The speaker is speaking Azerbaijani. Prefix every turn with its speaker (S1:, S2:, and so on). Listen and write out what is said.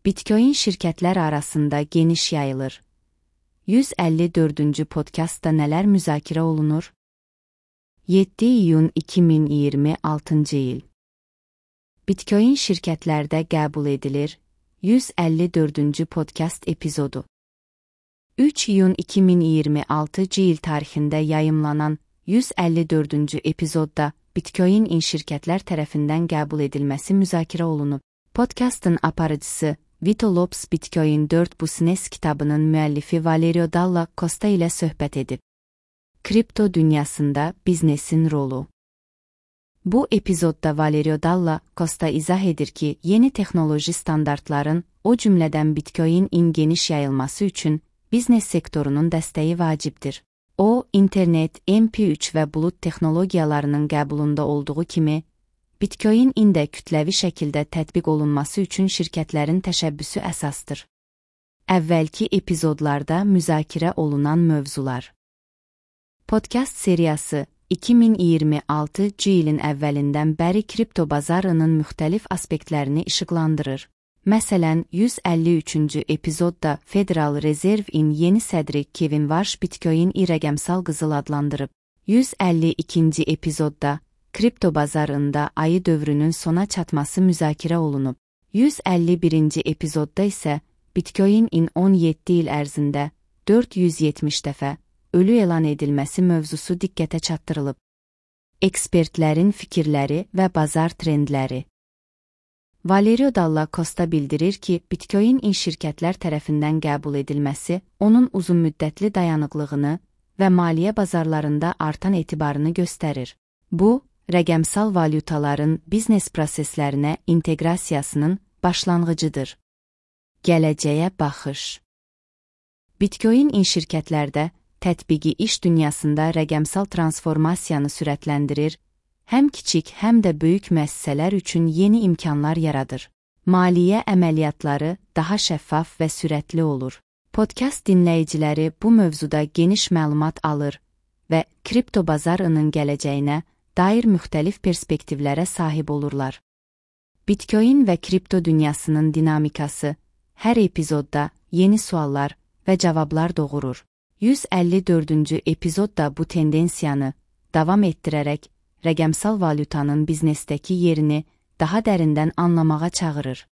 S1: Bitcoin şirkətlər arasında geniş yayılır. 154-cü podkastda nələr müzakirə olunur? 7 iyun 2026-cı il. Bitcoin şirkətlərdə qəbul edilir. 154-cü podkast epizodu. 3 iyun 2026-cı il tarixində yayımlanan 154-cü epizodda Bitcoin şirkətlər tərəfindən qəbul edilməsi müzakirə olunub. Podkastın aparıcısı Vito Lopes Bitcoin 4 Business kitabının müəllifi Valerio Dalla Costa ilə söhbət edib. Kripto dünyasında biznesin rolu. Bu epizodda Valerio Dalla Costa izah edir ki, yeni texnoloji standartların, o cümlədən Bitcoin-in geniş yayılması üçün biznes sektorunun dəstəyi vacibdir. O, internet, MP3 və bulut texnologiyalarının qəbulunda olduğu kimi, Bitcoin-in də kütləvi şəkildə tətbiq olunması üçün şirkətlərin təşəbbüsü əsasdır. Əvvəlki epizodlarda müzakirə olunan mövzular. Podkast seriyası 2026-cı ilin əvvəlindən bəri kripto bazarının müxtəlif aspektlərini işıqlandırır. Məsələn, 153-cü epizodda Federal Reserve-in yeni sədri Kevin Warsh Bitcoin-i rəqəmsal qızıl adlandırıb. 152-ci epizodda kripto bazarında ayı dövrünün sona çatması müzakirə olunub. 151-ci epizodda isə Bitcoin-in 17 il ərzində 470 dəfə ölü elan edilməsi mövzusu diqqətə çatdırılıb. Ekspertlərin fikirləri və bazar trendləri. Valerio Dalla Costa bildirir ki, Bitcoin şirkətlər tərəfindən qəbul edilməsi onun uzunmüddətli dayanıqlığını və maliyyə bazarlarında artan etibarını göstərir. Bu, rəqəmsal valyutaların biznes proseslərinə inteqrasiyasının başlanğıcıdır. Gələcəyə baxış. Bitcoin şirkətlərdə tətbiqi iş dünyasında rəqəmsal transformasiyanı sürətləndirir, həm kiçik, həm də böyük müəssisələr üçün yeni imkanlar yaradır. Maliyyə əməliyyatları daha şəffaf və sürətli olur. Podkast dinləyiciləri bu mövzuda geniş məlumat alır və kripto bazarının gələcəyinə dair müxtəlif perspektivlərə sahib olurlar. Bitcoin və kripto dünyasının dinamikası hər epizodda yeni suallar və cavablar doğurur. 154-cü epizodda bu tendensiyanı davam etdirərək rəqəmsal valyutanın biznesdəki yerini daha dərindən anlamağa çağırır.